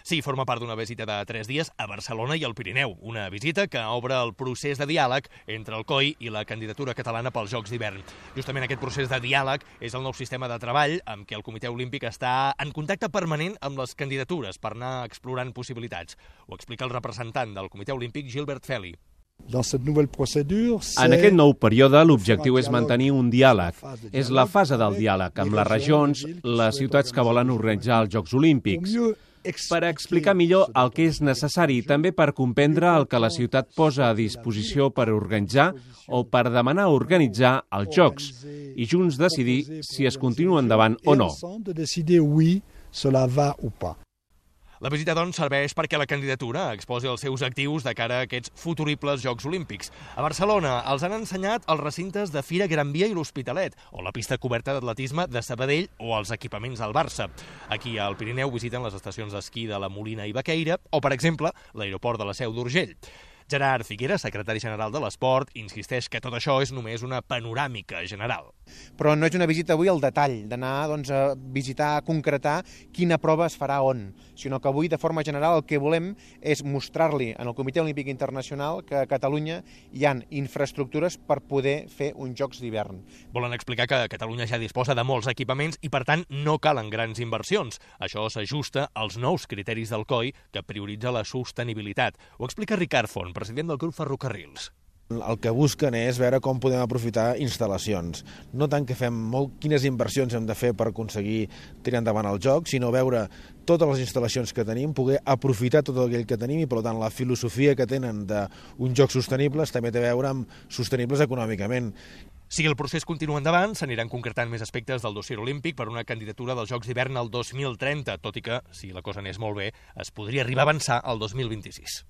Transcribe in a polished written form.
Sí, forma part d'una visita de 3 dies a Barcelona i al Pirineu, una visita que obre el procés de diàleg entre el COI i la candidatura catalana pels Jocs d'hivern. Justament aquest procés de diàleg és el nou sistema de treball amb què el Comitè Olímpic està en contacte permanent amb les candidatures per anar explorant possibilitats. Ho explica el representant del Comitè Olímpic, Gilbert Feli. En aquest nou període, l'objectiu és mantenir un diàleg. És la fase del diàleg amb les regions, les ciutats que volen organitzar els Jocs Olímpics, per explicar millor el que és necessari, també per comprendre el que la ciutat posa a disposició per organitzar o per demanar organitzar els Jocs, i junts decidir si es continua endavant o no. La visita, doncs, serveix perquè la candidatura exposi els seus actius de cara a aquests futuribles Jocs Olímpics. A Barcelona els han ensenyat els recintes de Fira Gran Via i l'Hospitalet, o la pista coberta d'atletisme de Sabadell o els equipaments del Barça. Aquí al Pirineu visiten les estacions d'esquí de la Molina i Baqueira o, per exemple, l'aeroport de la Seu d'Urgell. Gerard Figueras, secretari general de l'Esport, insisteix que tot això és només una panoràmica general. Però no és una visita avui al detall, d'anar a visitar, a concretar quina prova es farà on, sinó que avui, de forma general, el que volem és mostrar-li al Comitè Olímpic Internacional que a Catalunya hi ha infraestructures per poder fer uns Jocs d'hivern. Volen explicar que Catalunya ja disposa de molts equipaments i, per tant, no calen grans inversions. Això s'ajusta als nous criteris del COI, que prioritza la sostenibilitat. Ho explica Ricard Font, president del grup Ferrocarrils. El que busquen és veure com podem aprofitar instal·lacions. No tant que fem quines inversions hem de fer per aconseguir tirar endavant el joc, sinó veure totes les instal·lacions que tenim, poder aprofitar tot aquell que tenim i, per tant, la filosofia que tenen d'uns jocs sostenibles també té a veure amb sostenibles econòmicament. Si el procés continua endavant, s'aniran concretant més aspectes del dossier olímpic per una candidatura dels Jocs d'hivern al 2030, tot i que, si la cosa anés molt bé, es podria arribar a avançar al 2026.